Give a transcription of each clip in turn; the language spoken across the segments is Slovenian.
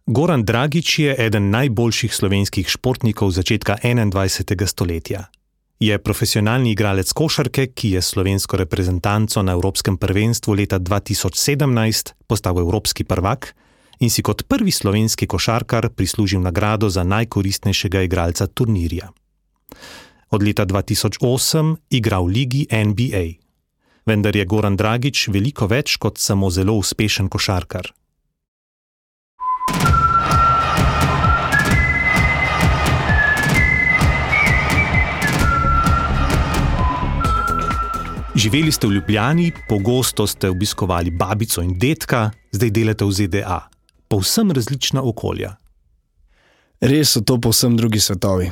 Goran Dragić je eden najboljših slovenskih športnikov začetka 21. stoletja. Je profesionalni igralec košarke, ki je slovensko reprezentanco na Evropskem prvenstvu leta 2017 postal evropski prvak in si kot prvi slovenski košarkar prislužil nagrado za najkoristnejšega igralca turnirja. Od leta 2008 igra v ligi NBA. Vendar je Goran Dragić veliko več kot samo zelo uspešen košarkar. Živeli ste v Ljubljani, pogosto ste obiskovali babico in dedka, zdaj delate v ZDA. Povsem različna okolja. Res so to povsem drugi svetovi.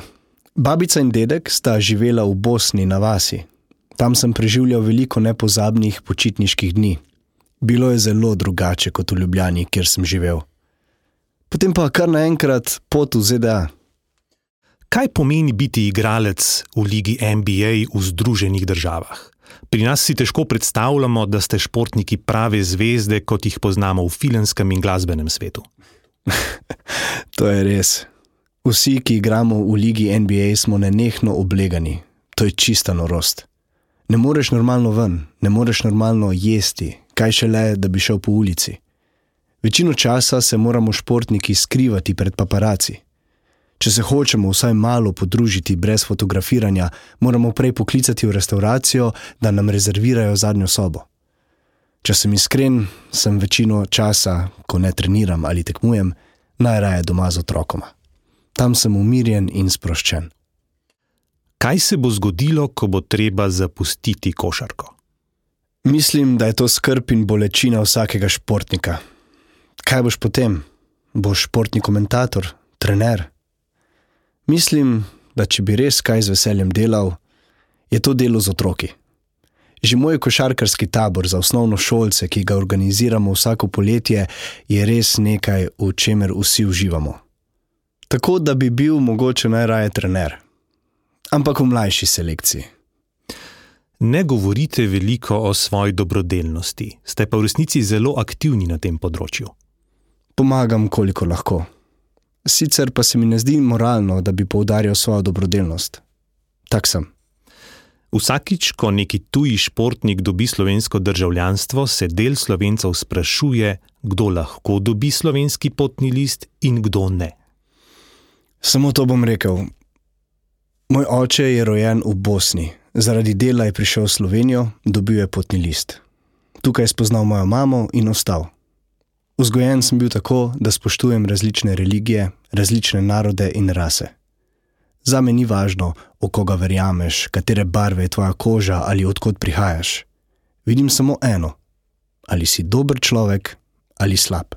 Babica in dedek sta živela v Bosni na vasi. Tam sem preživljal veliko nepozabnih počitniških dni. Bilo je zelo drugače kot v Ljubljani, kjer sem živel. Potem pa kar naenkrat pot v ZDA. Kaj pomeni biti igralec v ligi NBA v Združenih državah? Pri nas si težko predstavljamo, da ste športniki prave zvezde, kot jih poznamo v filmskem in glasbenem svetu. To je res. Vsi, ki igramo v ligi NBA, smo nenehno oblegani. To je čista norost. Ne moreš normalno ven, ne moreš normalno jesti, kaj šele, da bi šel po ulici. Večino časa se moramo športniki skrivati pred paparaci. Če se hočemo vsaj malo podružiti brez fotografiranja, moramo prej poklicati v restauracijo, da nam rezervirajo zadnjo sobo. Če sem iskren, sem večino časa, ko ne treniram ali tekmujem, najraje doma z otrokoma. Tam sem umirjen in sproščen. Kaj se bo zgodilo, ko bo treba zapustiti košarko? Mislim, da je to skrb in bolečina vsakega športnika. Kaj boš potem? Boš športni komentator, trener? Mislim, da če bi res kaj z veseljem delal, je to delo z otroki. Že moj košarkarski tabor za osnovnošolce, ki ga organiziramo vsako poletje, je res nekaj, v čemer vsi uživamo. Tako, da bi bil mogoče najraje trener. Ampak v mlajši selekciji. Ne govorite veliko o svoji dobrodelnosti, ste pa v resnici zelo aktivni na tem področju. Pomagam, koliko lahko. Sicer pa se mi ne zdi moralno, da bi poudarjal svojo dobrodelnost. Tak sem. Vsakič, ko neki tuji športnik dobi slovensko državljanstvo, se del Slovencev sprašuje, kdo lahko dobi slovenski potni list in kdo ne. Samo to bom rekel. Moj oče je rojen v Bosni. Zaradi dela je prišel v Slovenijo, dobil je potni list. Tukaj je spoznal mojo mamo in ostal. Vzgojen sem bil tako, da spoštujem različne religije, različne narode in rase. Zame ni važno, v koga verjameš, katere barve je tvoja koža ali odkot prihajaš. Vidim samo eno. Ali si dober človek ali slab.